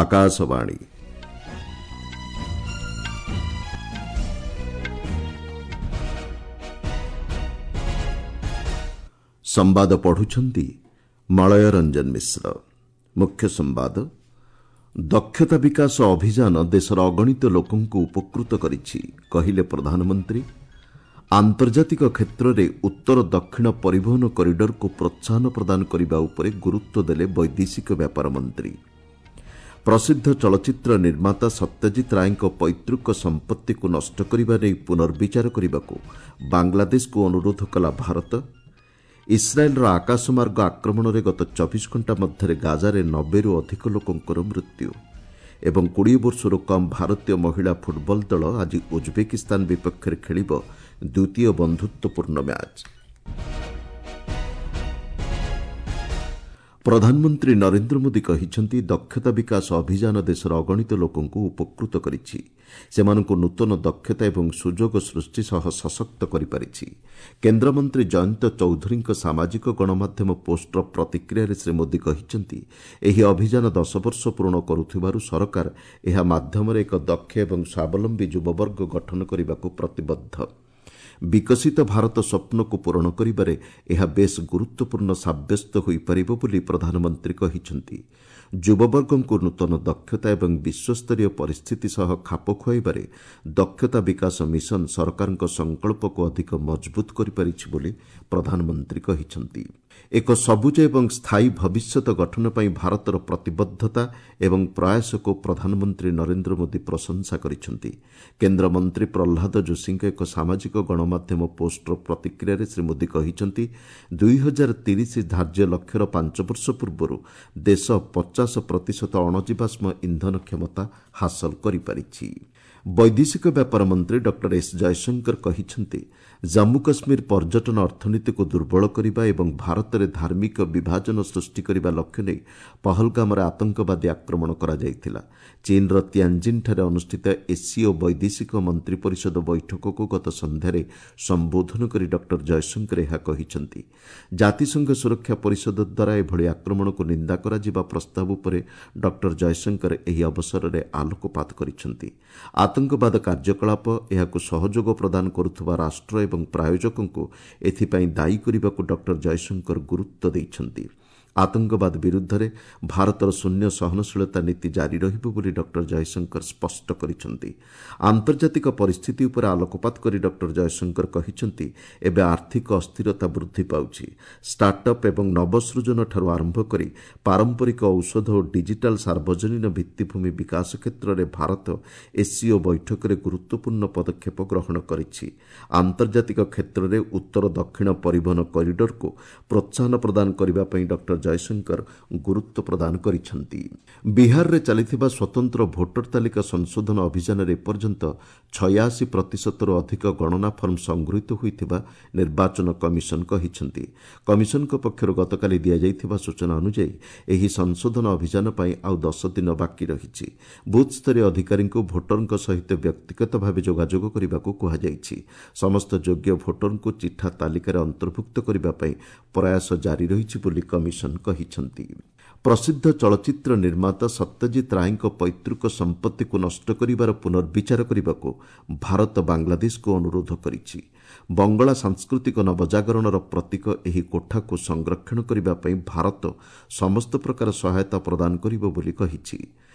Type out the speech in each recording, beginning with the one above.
ଆକାଶବାଣୀ। ସମ୍ବାଦ ପଢୁଛନ୍ତି ମଳୟ ରଞ୍ଜନ ମିଶ୍ର। ମୁଖ୍ୟ ସମ୍ବାଦ, ଦକ୍ଷତା ବିକାଶ ଅଭିଯାନ ଦେଶର ଅଗଣିତ ଲୋକଙ୍କୁ ଉପକୃତ କରିଛି, କହିଲେ ପ୍ରଧାନମନ୍ତ୍ରୀ। ଆନ୍ତର୍ଜାତିକ କ୍ଷେତ୍ରରେ ଉତ୍ତର ଦକ୍ଷିଣ ପରିବହନ କରିଡରକୁ ପ୍ରୋତ୍ସାହନ ପ୍ରଦାନ କରିବା ଉପରେ ଗୁରୁତ୍ୱ ଦେଲେ ବୈଦେଶିକ ବ୍ୟାପାର ମନ୍ତ୍ରୀ। ପ୍ରସିଦ୍ଧ ଚଳଚ୍ଚିତ୍ର ନିର୍ମାତା ସତ୍ୟଜିତ ରାୟଙ୍କ ପୈତୃକ ସମ୍ପତ୍ତିକୁ ନଷ୍ଟ କରିବା ନେଇ ପୁନର୍ବିଚାର କରିବାକୁ ବାଂଲାଦେଶକୁ ଅନୁରୋଧ କଲା ଭାରତ। ଇସ୍ରାଏଲ୍ର ଆକାଶମାର୍ଗ ଆକ୍ରମଣରେ ଗତ 24 ଘଣ୍ଟା ମଧ୍ୟରେ ଗାଜାରେ 90ରୁ ଅଧିକ ଲୋକଙ୍କର ମୃତ୍ୟୁ। ଏବଂ 20 ବର୍ଷରୁ କମ୍ ଭାରତୀୟ ମହିଳା ଫୁଟବଲ ଦଳ ଆଜି ଉଜ୍ବେକିସ୍ତାନ ବିପକ୍ଷରେ ଖେଳିବ ଦ୍ୱିତୀୟ ବନ୍ଧୁତ୍ୱପୂର୍ଣ୍ଣ ମ୍ୟାଚ୍। ପ୍ରଧାନମନ୍ତ୍ରୀ ନରେନ୍ଦ୍ର ମୋଦି କହିଛନ୍ତି, ଦକ୍ଷତା ବିକାଶ ଅଭିଯାନ ଦେଶର ଅଗଣିତ ଲୋକଙ୍କୁ ଉପକୃତ କରିଛି। ସେମାନଙ୍କୁ ନୂତନ ଦକ୍ଷତା ଏବଂ ସୁଯୋଗ ସୃଷ୍ଟି ସହ ସଶକ୍ତ କରିପାରିଛି। କେନ୍ଦ୍ରମନ୍ତ୍ରୀ ଜୟନ୍ତ ଚୌଧୁରୀଙ୍କ ସାମାଜିକ ଗଣମାଧ୍ୟମ ପୋଷ୍ଟର ପ୍ରତିକ୍ରିୟାରେ ଶ୍ରୀ ମୋଦି କହିଛନ୍ତି, ଏହି ଅଭିଯାନ 10 ବର୍ଷ ପୂରଣ କରୁଥିବାରୁ ସରକାର ଏହା ମାଧ୍ୟମରେ ଏକ ଦକ୍ଷ ଏବଂ ସ୍ୱାବଲମ୍ବୀ ଯୁବବର୍ଗ ଗଠନ କରିବାକୁ ପ୍ରତିବଦ୍ଧ। ବିକଶିତ ଭାରତ ସ୍ୱପ୍ନକୁ ପୂରଣ କରିବାରେ ଏହା ବେଶ୍ ଗୁରୁତ୍ୱପୂର୍ଣ୍ଣ ସାବ୍ୟସ୍ତ ହୋଇପାରିବ ବୋଲି ପ୍ରଧାନମନ୍ତ୍ରୀ କହିଛନ୍ତି। ଯୁବବର୍ଗଙ୍କୁ ନୂତନ ଦକ୍ଷତା ଏବଂ ବିଶ୍ୱସ୍ତରୀୟ ପରିସ୍ଥିତି ସହ ଖାପ ଖୁଆଇବାରେ ଦକ୍ଷତା ବିକାଶ ମିଶନ ସରକାରଙ୍କ ସଂକଳ୍ପକୁ ଅଧିକ ମଜବୁତ କରିପାରିଛି ବୋଲି ପ୍ରଧାନମନ୍ତ୍ରୀ କହିଛନ୍ତି। ଏକ ସବୁଜ ଏବଂ ସ୍ଥାୟୀ ଭବିଷ୍ୟତ ଗଠନ ପାଇଁ ଭାରତର ପ୍ରତିବଦ୍ଧତା ଏବଂ ପ୍ରୟାସକୁ ପ୍ରଧାନମନ୍ତ୍ରୀ ନରେନ୍ଦ୍ର ମୋଦି ପ୍ରଶଂସା କରିଛନ୍ତି। କେନ୍ଦ୍ରମନ୍ତ୍ରୀ ପ୍ରହ୍ଲାଦ ଯୋଶୀଙ୍କ ଏକ ସାମାଜିକ ଗଣମାଧ୍ୟମ ପୋଷ୍ଟର ପ୍ରତିକ୍ରିୟାରେ ଶ୍ରୀ ମୋଦି କହିଛନ୍ତି, 2030 ଧାର୍ଯ୍ୟ ଲକ୍ଷ୍ୟର 5 ବର୍ଷ ପୂର୍ବରୁ ଦେଶ 50% ଅଣଜୀବାଶ୍ମ ଇନ୍ଧନ କ୍ଷମତା ହାସଲ କରିପାରିଛି। ବୈଦେଶିକ ବ୍ୟାପାର ମନ୍ତ୍ରୀ ଡକ୍ଟର ଏସ୍ ଜୟଶଙ୍କର କହିଛନ୍ତି, ଜାମ୍ମୁ କାଶ୍ମୀର ପର୍ଯ୍ୟଟନ ଅର୍ଥନୀତିକୁ ଦୁର୍ବଳ କରିବା ଏବଂ ଭାରତରେ ଧାର୍ମିକ ବିଭାଜନ ସୃଷ୍ଟି କରିବା ଲକ୍ଷ୍ୟ ନେଇ ପହଲଗାମରେ ଆତଙ୍କବାଦୀ ଆକ୍ରମଣ କରାଯାଇଥିଲା। ଚୀନ୍ର ତିଆଞ୍ଜିନ୍ଠାରେ ଅନୁଷ୍ଠିତ ଏସ୍ସିଓ ବୈଦେଶିକ ମନ୍ତ୍ରୀ ପରିଷଦ ବୈଠକକୁ ଗତ ସନ୍ଧ୍ୟାରେ ସମ୍ବୋଧନ କରି ଡକ୍ଟର ଜୟଶଙ୍କର ଏହା କହିଛନ୍ତି। ଜାତିସଂଘ ସୁରକ୍ଷା ପରିଷଦ ଦ୍ୱାରା ଏଭଳି ଆକ୍ରମଣକୁ ନିନ୍ଦା କରାଯିବା ପ୍ରସ୍ତାବ ଉପରେ ଡକ୍ଟର ଜୟଶଙ୍କର ଏହି ଅବସରରେ ଆଲୋକପାତ କରିଛନ୍ତି। ଆତଙ୍କବାଦ କାର୍ଯ୍ୟକଳାପ, ଏହାକୁ ସହଯୋଗ ପ୍ରଦାନ କରୁଥିବା ରାଷ୍ଟ୍ର ଏବଂ ପ୍ରାୟୋଜକଙ୍କୁ ଏଥିପାଇଁ ଦାୟୀ କରିବାକୁ ଡକ୍ଟର ଜୟଶଙ୍କର ଗୁରୁତ୍ୱ ଦେଇଛନ୍ତି। ଆତଙ୍କବାଦ ବିରୁଦ୍ଧରେ ଭାରତର ଶୂନ୍ୟ ସହନଶୀଳତା ନୀତି ଜାରି ରହିବ ବୋଲି ଡକ୍ଟର ଜୟଶଙ୍କର ସ୍ପଷ୍ଟ କରିଛନ୍ତି। ଆନ୍ତର୍ଜାତିକ ପରିସ୍ଥିତି ଉପରେ ଆଲୋକପାତ କରି ଡକ୍ଟର ଜୟଶଙ୍କର କହିଛନ୍ତି, ଏବେ ଆର୍ଥିକ ଅସ୍ଥିରତା ବୃଦ୍ଧି ପାଉଛି। ଷ୍ଟାର୍ଟଅପ୍ ଏବଂ ନବସୃଜନଠାରୁ ଆରମ୍ଭ କରି ପାରମ୍ପରିକ ଔଷଧ ଓ ଡିଜିଟାଲ୍ ସାର୍ବଜନୀନ ଭିତ୍ତିଭୂମି ବିକାଶ କ୍ଷେତ୍ରରେ ଭାରତ ଏସ୍ସିଓ ବୈଠକରେ ଗୁରୁତ୍ୱପୂର୍ଣ୍ଣ ପଦକ୍ଷେପ ଗ୍ରହଣ କରିଛି। ଆନ୍ତର୍ଜାତିକ କ୍ଷେତ୍ରରେ ଉତ୍ତର ଦକ୍ଷିଣ ପରିବହନ କରିଡରକୁ ପ୍ରୋତ୍ସାହନ ପ୍ରଦାନ କରିବା ପାଇଁ ଡକ୍ଟର ଜୟଶଙ୍କର ଗୁରୁତ୍ୱ ପ୍ରଦାନ କରିଛନ୍ତି। ବିହାରରେ ଚାଲିଥିବା ସ୍ୱତନ୍ତ୍ର ଭୋଟର ତାଲିକା ସଂଶୋଧନ ଅଭିଯାନରେ ଏପର୍ଯ୍ୟନ୍ତ 86%ରୁ ଅଧିକ ଗଣନା ଫର୍ମ ସଂଗୃହୀତ ହୋଇଥିବା ନିର୍ବାଚନ କମିଶନ କହିଛନ୍ତି। କମିଶନଙ୍କ ପକ୍ଷରୁ ଗତକାଲି ଦିଆଯାଇଥିବା ସୂଚନା ଅନୁଯାୟୀ ଏହି ସଂଶୋଧନ ଅଭିଯାନ ପାଇଁ ଆଉ 10 ଦିନ ବାକି ରହିଛି। ବୁଥ୍ସ୍ତରୀୟ ଅଧିକାରୀଙ୍କୁ ଭୋଟରଙ୍କ ସହିତ ବ୍ୟକ୍ତିଗତ ଭାବେ ଯୋଗାଯୋଗ କରିବାକୁ କୁହାଯାଇଛି। ସମସ୍ତ ଯୋଗ୍ୟ ଭୋଟରଙ୍କୁ ଚିଠା ତାଲିକାରେ ଅନ୍ତର୍ଭୁକ୍ତ କରିବା ପାଇଁ ପ୍ରୟାସ ଜାରି ରହିଛି ବୋଲି କମିଶନ କହିଛନ୍ତି। ପ୍ରସିଦ୍ଧ ଚଳଚ୍ଚିତ୍ର ନିର୍ମାତା ସତ୍ୟଜିତ ରାୟଙ୍କ ପୈତୃକ ସମ୍ପତ୍ତିକୁ ନଷ୍ଟ କରିବାର ପୁନର୍ବିଚାର କରିବାକୁ ଭାରତ ବାଂଲାଦେଶକୁ ଅନୁରୋଧ କରିଛି। ବଙ୍ଗଳା ସାଂସ୍କୃତିକ ନବଜାଗରଣର ପ୍ରତୀକ ଏହି କୋଠାକୁ ସଂରକ୍ଷଣ କରିବା ପାଇଁ ଭାରତ ସମସ୍ତ ପ୍ରକାର ସହାୟତା ପ୍ରଦାନ କରିବ ବୋଲି କହିଛି।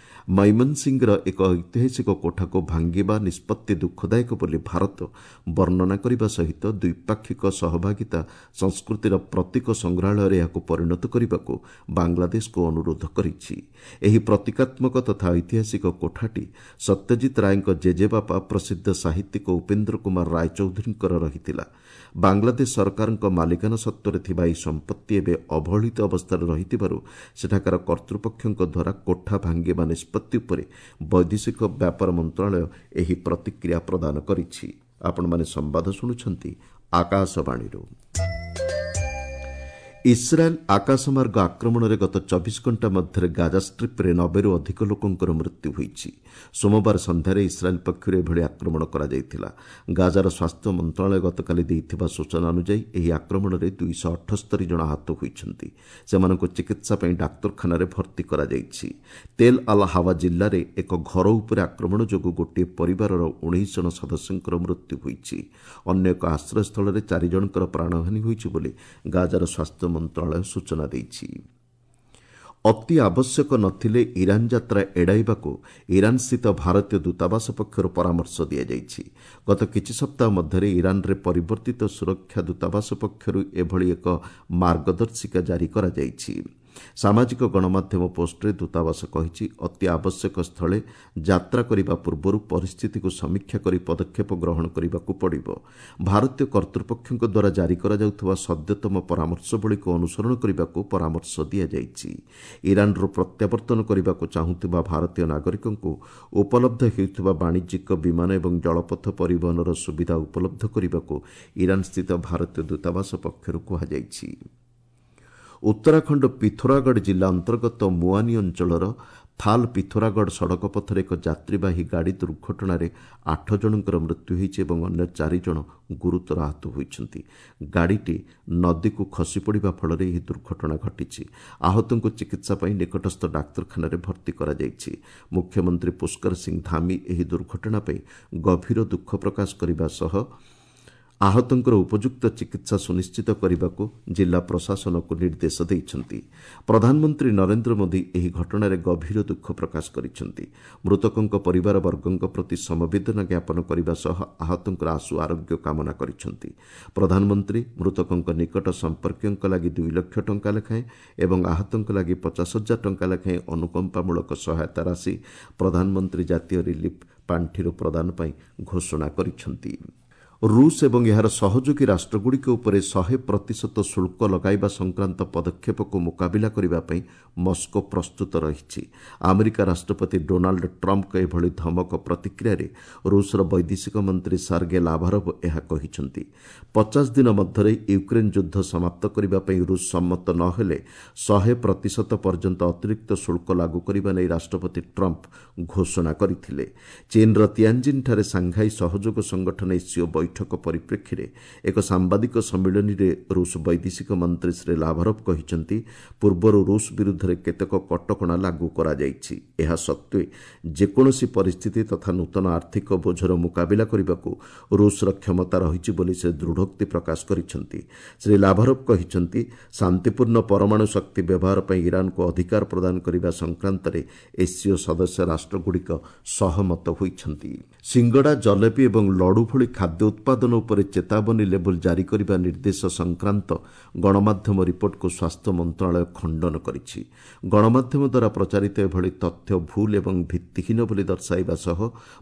ମୈମନସିଂହର ଏକ ଐତିହାସିକ କୋଠାକୁ ଭାଙ୍ଗିବା ନିଷ୍ପତ୍ତି ଦୁଃଖଦାୟକ ବୋଲି ଭାରତ ବର୍ଣ୍ଣନା କରିବା ସହିତ ଦ୍ୱିପାକ୍ଷିକ ସହଭାଗିତା ସଂସ୍କୃତିର ପ୍ରତୀକ ସଂଗ୍ରହାଳୟରେ ଏହାକୁ ପରିଣତ କରିବାକୁ ବାଂଲାଦେଶକୁ ଅନୁରୋଧ କରିଛି। ଏହି ପ୍ରତୀକାତ୍ମକ ତଥା ଐତିହାସିକ କୋଠାଟି ସତ୍ୟଜିତ ରାୟଙ୍କ ଜେଜେବାପା ପ୍ରସିଦ୍ଧ ସାହିତ୍ୟିକ ଉପେନ୍ଦ୍ର କୁମାର ରାୟଚୌଧୁରୀଙ୍କର ରହିଥିଲା। ବାଂଲାଦେଶ ସରକାରଙ୍କ ମାଲିକାନା ସତ୍ତ୍ୱରେ ଥିବା ଏହି ସମ୍ପତ୍ତି ଏବେ ଅବହେଳିତ ଅବସ୍ଥାରେ ରହିଥିବାରୁ ସେଠାକାର କର୍ତ୍ତୃପକ୍ଷଙ୍କ ଦ୍ୱାରା କୋଠା ଭାଙ୍ଗିବା ନିଷ୍ପତ୍ତି ଉପରେ ବୈଦେଶିକ ବ୍ୟାପାର ମନ୍ତ୍ରଣାଳୟ ଏହି ପ୍ରତିକ୍ରିୟା ପ୍ରଦାନ କରିଛି। ଆପଣମାନେ ସମ୍ବାଦ ଶୁଣୁଛନ୍ତି ଆକାଶବାଣୀରୁ। ଇସ୍ରାଏଲ୍ ଆକାଶମାର୍ଗ ଆକ୍ରମଣରେ ଗତ 24 ଘଣ୍ଟା ମଧ୍ୟରେ ଗାଜା ଷ୍ଟ୍ରିପ୍ରେ 90ରୁ ଅଧିକ ଲୋକଙ୍କର ମୃତ୍ୟୁ ହୋଇଛି। ସୋମବାର ସନ୍ଧ୍ୟାରେ ଇସ୍ରାଏଲ୍ ପକ୍ଷରୁ ଏଭଳି ଆକ୍ରମଣ କରାଯାଇଥିଲା। ଗାଜାର ସ୍ୱାସ୍ଥ୍ୟ ମନ୍ତ୍ରଣାଳୟ ଗତକାଲି ଦେଇଥିବା ସୂଚନା ଅନୁଯାୟୀ ଏହି ଆକ୍ରମଣରେ 278 ଜଣ ଆହତ ହୋଇଛନ୍ତି। ସେମାନଙ୍କୁ ଚିକିତ୍ସା ପାଇଁ ଡାକ୍ତରଖାନାରେ ଭର୍ତ୍ତି କରାଯାଇଛି। ତେଲ୍ ଅଲ୍ ହାୱା ଜିଲ୍ଲାରେ ଏକ ଘର ଉପରେ ଆକ୍ରମଣ ଯୋଗୁଁ ଗୋଟିଏ ପରିବାରର 19 ଜଣ ସଦସ୍ୟଙ୍କର ମୃତ୍ୟୁ ହୋଇଛି। ଅନ୍ୟ ଏକ ଆଶ୍ରୟସ୍ଥଳରେ 4 ଜଣଙ୍କର ପ୍ରାଣହାନି ହୋଇଛି ବୋଲି ଗାଜାର ସ୍ୱାସ୍ଥ୍ୟ ମନ୍ତ୍ରଣାଳୟ ସୂଚନା ଦେଇଛି। ଅତି ଆବଶ୍ୟକ ନଥିଲେ ଇରାନ୍ ଯାତ୍ରା ଏଡ଼ାଇବାକୁ ଇରାନ୍ସ୍ଥିତ ଭାରତୀୟ ଦୂତାବାସ ପକ୍ଷରୁ ପରାମର୍ଶ ଦିଆଯାଇଛି। ଗତ କିଛି ସପ୍ତାହ ମଧ୍ୟରେ ଇରାନ୍ରେ ପରିବର୍ତ୍ତିତ ସୁରକ୍ଷା ଦୂତାବାସ ପକ୍ଷରୁ ଏଭଳି ଏକ ମାର୍ଗଦର୍ଶିକା ଜାରି କରାଯାଇଛି। ସାମାଜିକ ଗଣମାଧ୍ୟମ ପୋଷ୍ଟରେ ଦୂତାବାସ କହିଛି, ଅତି ଆବଶ୍ୟକ ସ୍ଥଳେ ଯାତ୍ରା କରିବା ପୂର୍ବରୁ ପରିସ୍ଥିତିକୁ ସମୀକ୍ଷା କରି ପଦକ୍ଷେପ ଗ୍ରହଣ କରିବାକୁ ପଡ଼ିବ। ଭାରତୀୟ କର୍ତ୍ତୃପକ୍ଷଙ୍କ ଦ୍ୱାରା ଜାରି କରାଯାଉଥିବା ସଦ୍ୟତମ ପରାମର୍ଶବଳୀକୁ ଅନୁସରଣ କରିବାକୁ ପରାମର୍ଶ ଦିଆଯାଇଛି। ଇରାନ୍ରୁ ପ୍ରତ୍ୟାବର୍ତ୍ତନ କରିବାକୁ ଚାହୁଁଥିବା ଭାରତୀୟ ନାଗରିକଙ୍କୁ ଉପଲବ୍ଧ ହେଉଥିବା ବାଣିଜ୍ୟିକ ବିମାନ ଏବଂ ଜଳପଥ ପରିବହନର ସୁବିଧା ଉପଲବ୍ଧ କରିବାକୁ ଇରାନ୍ସ୍ଥିତ ଭାରତୀୟ ଦୂତାବାସ ପକ୍ଷରୁ କୁହାଯାଇଛି। ଉତ୍ତରାଖଣ୍ଡ ପିଥୋରାଗଡ଼ ଜିଲ୍ଲା ଅନ୍ତର୍ଗତ ମୁଆନି ଅଞ୍ଚଳର ଥାଲ୍ ପିଥୋରାଗଡ଼ ସଡ଼କ ପଥରେ ଏକ ଯାତ୍ରୀବାହୀ ଗାଡ଼ି ଦୁର୍ଘଟଣାରେ 8 ଜଣଙ୍କର ମୃତ୍ୟୁ ହୋଇଛି ଏବଂ ଅନ୍ୟ 4 ଜଣ ଗୁରୁତର ଆହତ ହୋଇଛନ୍ତି। ଗାଡ଼ିଟି ନଦୀକୁ ଖସିପଡ଼ିବା ଫଳରେ ଏହି ଦୁର୍ଘଟଣା ଘଟିଛି। ଆହତଙ୍କୁ ଚିକିତ୍ସା ପାଇଁ ନିକଟସ୍ଥ ଡାକ୍ତରଖାନାରେ ଭର୍ତ୍ତି କରାଯାଇଛି। ମୁଖ୍ୟମନ୍ତ୍ରୀ ପୁଷ୍କର ସିଂ ଧାମି ଏହି ଦୁର୍ଘଟଣା ପାଇଁ ଗଭୀର ଦୁଃଖ ପ୍ରକାଶ କରିବା ସହ ଆହତଙ୍କର ଉପଯୁକ୍ତ ଚିକିତ୍ସା ସୁନିଶ୍ଚିତ କରିବାକୁ ଜିଲ୍ଲା ପ୍ରଶାସନକୁ ନିର୍ଦ୍ଦେଶ ଦେଇଛନ୍ତି। ପ୍ରଧାନମନ୍ତ୍ରୀ ନରେନ୍ଦ୍ର ମୋଦି ଏହି ଘଟଣାରେ ଗଭୀର ଦୁଃଖ ପ୍ରକାଶ କରିଛନ୍ତି। ମୃତକଙ୍କ ପରିବାରବର୍ଗଙ୍କ ପ୍ରତି ସମବେଦନା ଜ୍ଞାପନ କରିବା ସହ ଆହତଙ୍କର ଆଶୁ ଆରୋଗ୍ୟ କାମନା କରିଛନ୍ତି। ପ୍ରଧାନମନ୍ତ୍ରୀ ମୃତକଙ୍କ ନିକଟ ସମ୍ପର୍କୀୟଙ୍କ ଲାଗି 2 ଲକ୍ଷ ଟଙ୍କା ଲେଖାଏଁ ଏବଂ ଆହତଙ୍କ ଲାଗି 50,000 ଟଙ୍କା ଲେଖାଏଁ ଅନୁକମ୍ପାମୂଳକ ସହାୟତା ରାଶି ପ୍ରଧାନମନ୍ତ୍ରୀ ଜାତୀୟ ରିଲିଫ୍ ପାଣ୍ଠିରୁ ପ୍ରଦାନ ପାଇଁ ଘୋଷଣା କରିଛନ୍ତି। ରୁଷ ଏବଂ ଏହାର ସହଯୋଗୀ ରାଷ୍ଟ୍ରଗୁଡ଼ିକ ଉପରେ 100% ଶୁଳ୍କ ଲଗାଇବା ସଂକ୍ରାନ୍ତ ପଦକ୍ଷେପକୁ ମୁକାବିଲା କରିବା ପାଇଁ ମସ୍କୋ ପ୍ରସ୍ତୁତ ରହିଛି। ଆମେରିକା ରାଷ୍ଟ୍ରପତି ଡୋନାଲ୍ଡ ଟ୍ରମ୍ପଙ୍କ ଏଭଳି ଧମକ ପ୍ରତିକ୍ରିୟାରେ ରୁଷର ବୈଦେଶିକ ମନ୍ତ୍ରୀ ସାର୍ଗେ ଲାଭାରୋଭ ଏହା କହିଛନ୍ତି। 50 ଦିନ ମଧ୍ୟରେ ୟୁକ୍ରେନ୍ ଯୁଦ୍ଧ ସମାପ୍ତ କରିବା ପାଇଁ ରୁଷ ସମ୍ମତ ନ ହେଲେ 100% ପର୍ଯ୍ୟନ୍ତ ଅତିରିକ୍ତ ଶୁଳ୍କ ଲାଗୁ କରିବା ନେଇ ରାଷ୍ଟ୍ରପତି ଟ୍ରମ୍ପ ଘୋଷଣା କରିଥିଲେ। ଚୀନ୍ର ତିଆଞ୍ଜିନ୍ଠାରେ ସାଂଘାଇ ସହଯୋଗ ସଂଗଠନ ଏସ୍ସିଓ ବୈଠକ ପରିପ୍ରେକ୍ଷୀରେ ଏକ ସାମ୍ବାଦିକ ସମ୍ମିଳନୀରେ ରୁଷ ବୈଦେଶିକ ମନ୍ତ୍ରୀ ଶ୍ରୀ ଲାଭାରୋଭ କହିଛନ୍ତି, ପୂର୍ବରୁ ରୁଷ ବିରୁଦ୍ଧରେ କେତେକ କଟକଣା ଲାଗୁ କରାଯାଇଛି। ଏହା ସତ୍ତ୍ୱେ ଯେକୌଣସି ପରିସ୍ଥିତି ତଥା ନୂତନ ଆର୍ଥିକ ବୋଝର ମୁକାବିଲା କରିବାକୁ ରୁଷର କ୍ଷମତା ରହିଛି ବୋଲି ସେ ଦୃଢ଼ୋକ୍ତି ପ୍ରକାଶ କରିଛନ୍ତି। ଶ୍ରୀ ଲାଭାରୋଭ କହିଛନ୍ତି, ଶାନ୍ତିପୂର୍ଣ୍ଣ ପରମାଣୁ ଶକ୍ତି ବ୍ୟବହାର ପାଇଁ ଇରାନକୁ ଅଧିକାର ପ୍ରଦାନ କରିବା ସଂକ୍ରାନ୍ତରେ ଏସ୍ସିଓ ସଦସ୍ୟ ରାଷ୍ଟ୍ରଗୁଡ଼ିକ ସହମତ ହୋଇଛନ୍ତି। ସିଙ୍ଗଡ଼ା, ଜଲେବି ଏବଂ ଲଡୁ ଭଳି ଖାଦ୍ୟ ଉତ୍ପାଦନ ଉପରେ ଚେତାବନୀ ଲେବୁଲ୍ ଜାରି କରିବା ନିର୍ଦ୍ଦେଶ ସଂକ୍ରାନ୍ତ ଗଣମାଧ୍ୟମ ରିପୋର୍ଟକୁ ସ୍ୱାସ୍ଥ୍ୟ ମନ୍ତ୍ରଣାଳୟ ଖଣ୍ଡନ କରିଛି। ଗଣମାଧ୍ୟମ ଦ୍ୱାରା ପ୍ରଚାରିତ ଏଭଳି ତଥ୍ୟ ଭୁଲ ଏବଂ ଭିତ୍ତିହୀନ ବୋଲି ଦର୍ଶାଇବା ସହ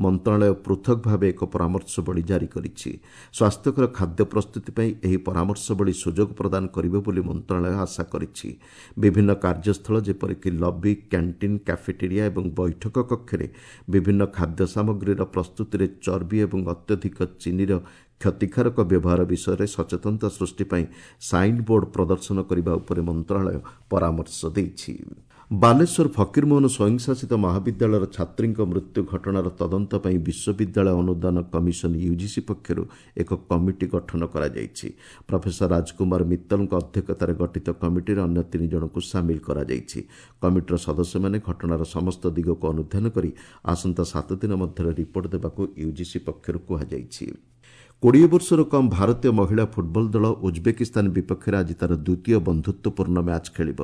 ମନ୍ତ୍ରଣାଳୟ ପୃଥକ ଭାବେ ଏକ ପରାମର୍ଶବଳୀ ଜାରି କରିଛି। ସ୍ୱାସ୍ଥ୍ୟକର ଖାଦ୍ୟ ପ୍ରସ୍ତୁତି ପାଇଁ ଏହି ପରାମର୍ଶବଳୀ ସୁଯୋଗ ପ୍ରଦାନ କରିବ ବୋଲି ମନ୍ତ୍ରଣାଳୟ ଆଶା କରିଛି। ବିଭିନ୍ନ କାର୍ଯ୍ୟସ୍ଥଳ ଯେପରିକି ଲବି, କ୍ୟାଣ୍ଟିନ୍, କ୍ୟାଫେଟେରିଆ ଏବଂ ବୈଠକ କକ୍ଷରେ ବିଭିନ୍ନ ଖାଦ୍ୟ ସାମଗ୍ରୀର ପ୍ରସ୍ତୁତିରେ ଚର୍ବି ଏବଂ ଅତ୍ୟଧିକ ଚିନିର କ୍ଷତିକାରକ ବ୍ୟବହାର ବିଷୟରେ ସଚେତନତା ସୃଷ୍ଟି ପାଇଁ ସାଇନ୍ ବୋର୍ଡ ପ୍ରଦର୍ଶନ କରିବା ଉପରେ ମନ୍ତ୍ରଣାଳୟ ପରାମର୍ଶ ଦେଇଛି। ବାଲେଶ୍ୱର ଫକୀରମୋହନ ସ୍ୱୟଂଶାସିତ ମହାବିଦ୍ୟାଳୟର ଛାତ୍ରୀଙ୍କ ମୃତ୍ୟୁ ଘଟଣାର ତଦନ୍ତ ପାଇଁ ବିଶ୍ୱବିଦ୍ୟାଳୟ ଅନୁଦାନ କମିଶନ ୟୁଜିସି ପକ୍ଷରୁ ଏକ କମିଟି ଗଠନ କରାଯାଇଛି। ପ୍ରଫେସର ରାଜକୁମାର ମିତ୍ତଲଙ୍କ ଅଧ୍ୟକ୍ଷତାରେ ଗଠିତ କମିଟିରେ ଅନ୍ୟ 3 ଜଣଙ୍କୁ ସାମିଲ କରାଯାଇଛି। କମିଟିର ସଦସ୍ୟମାନେ ଘଟଣାର ସମସ୍ତ ଦିଗକୁ ଅନୁଧ୍ୟାନ କରି ଆସନ୍ତା 7 ଦିନ ମଧ୍ୟରେ ରିପୋର୍ଟ ଦେବାକୁ ୟୁଜିସି ପକ୍ଷରୁ କୁହାଯାଇଛି। 20 ବର୍ଷରୁ କମ୍ ଭାରତୀୟ ମହିଳା ଫୁଟବଲ ଦଳ ଉଜବେକିସ୍ତାନ ବିପକ୍ଷରେ ଆଜି ତା'ର ଦ୍ୱିତୀୟ ବନ୍ଧୁତ୍ୱପୂର୍ଣ୍ଣ ମ୍ୟାଚ୍ ଖେଳିବ।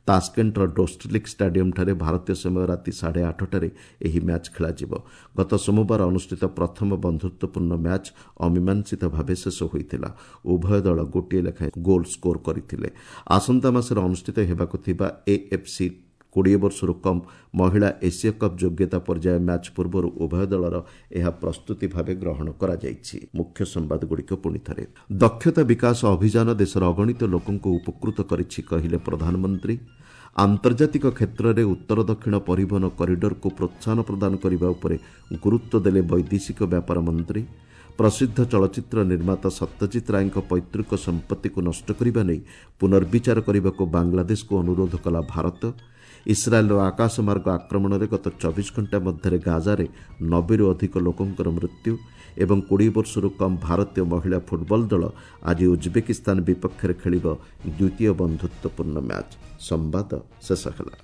ତାସ୍କେଣ୍ଟର ଡୋଷ୍ଟଲିକ୍ ଷ୍ଟାଡିୟମ୍ଠାରେ ଭାରତୀୟ ସମୟ ରାତି 8:30ରେ ଏହି ମ୍ୟାଚ୍ ଖେଳାଯିବ। ଗତ ସୋମବାର ଅନୁଷ୍ଠିତ ପ୍ରଥମ ବନ୍ଧୁତ୍ୱପୂର୍ଣ୍ଣ ମ୍ୟାଚ୍ ଅମୀମାଂସିତ ଭାବେ ଶେଷ ହୋଇଥିଲା। ଉଭୟ ଦଳ ଗୋଟିଏ ଲେଖାଏଁ ଗୋଲ୍ ସ୍କୋର କରିଥିଲେ। ଆସନ୍ତା ମାସରେ ଅନୁଷ୍ଠିତ ହେବାକୁ ଥିବା ଏଏଫ୍ସି 20 ବର୍ଷରୁ କମ୍ ମହିଳା ଏସିଆ କପ୍ ଯୋଗ୍ୟତା ପର୍ଯ୍ୟାୟ ମ୍ୟାଚ୍ ପୂର୍ବରୁ ଉଭୟ ଦଳର ଏହା ପ୍ରସ୍ତୁତି ଭାବେ ଗ୍ରହଣ କରାଯାଇଛି। ମୁଖ୍ୟ ସମ୍ବାଦଗୁଡ଼ିକ ପୁଣି ଥରେ। ଦକ୍ଷତା ବିକାଶ ଅଭିଯାନ ଦେଶର ଅଗଣିତ ଲୋକଙ୍କୁ ଉପକୃତ କରିଛି କହିଲେ ପ୍ରଧାନମନ୍ତ୍ରୀ। ଆନ୍ତର୍ଜାତିକ କ୍ଷେତ୍ରରେ ଉତ୍ତର ଦକ୍ଷିଣ ପରିବହନ କରିଡରକୁ ପ୍ରୋତ୍ସାହନ ପ୍ରଦାନ କରିବା ଉପରେ ଗୁରୁତ୍ୱ ଦେଲେ ବୈଦେଶିକ ବ୍ୟାପାର ମନ୍ତ୍ରୀ। ପ୍ରସିଦ୍ଧ ଚଳଚ୍ଚିତ୍ର ନିର୍ମାତା ସତ୍ୟଜିତ ରାୟଙ୍କ ପୈତୃକ ସମ୍ପତ୍ତିକୁ ନଷ୍ଟ କରିବା ନେଇ ପୁନର୍ବିଚାର କରିବାକୁ ବାଂଲାଦେଶକୁ ଅନୁରୋଧ କଲା ଭାରତ। ଇସ୍ରାଏଲ୍ର ଆକାଶମାର୍ଗ ଆକ୍ରମଣରେ ଗତ 24 ଘଣ୍ଟା ମଧ୍ୟରେ ଗାଜାରେ 90ରୁ ଅଧିକ ଲୋକଙ୍କର ମୃତ୍ୟୁ ଏବଂ 20 ବର୍ଷରୁ କମ୍ ଭାରତୀୟ ମହିଳା ଫୁଟବଲ ଦଳ ଆଜି ଉଜ୍ବେକିସ୍ତାନ ବିପକ୍ଷରେ ଖେଳିବ ଦ୍ୱିତୀୟ ବନ୍ଧୁତ୍ୱପୂର୍ଣ୍ଣ ମ୍ୟାଚ୍। ସମ୍ବାଦ ଶେଷ ହେଲା।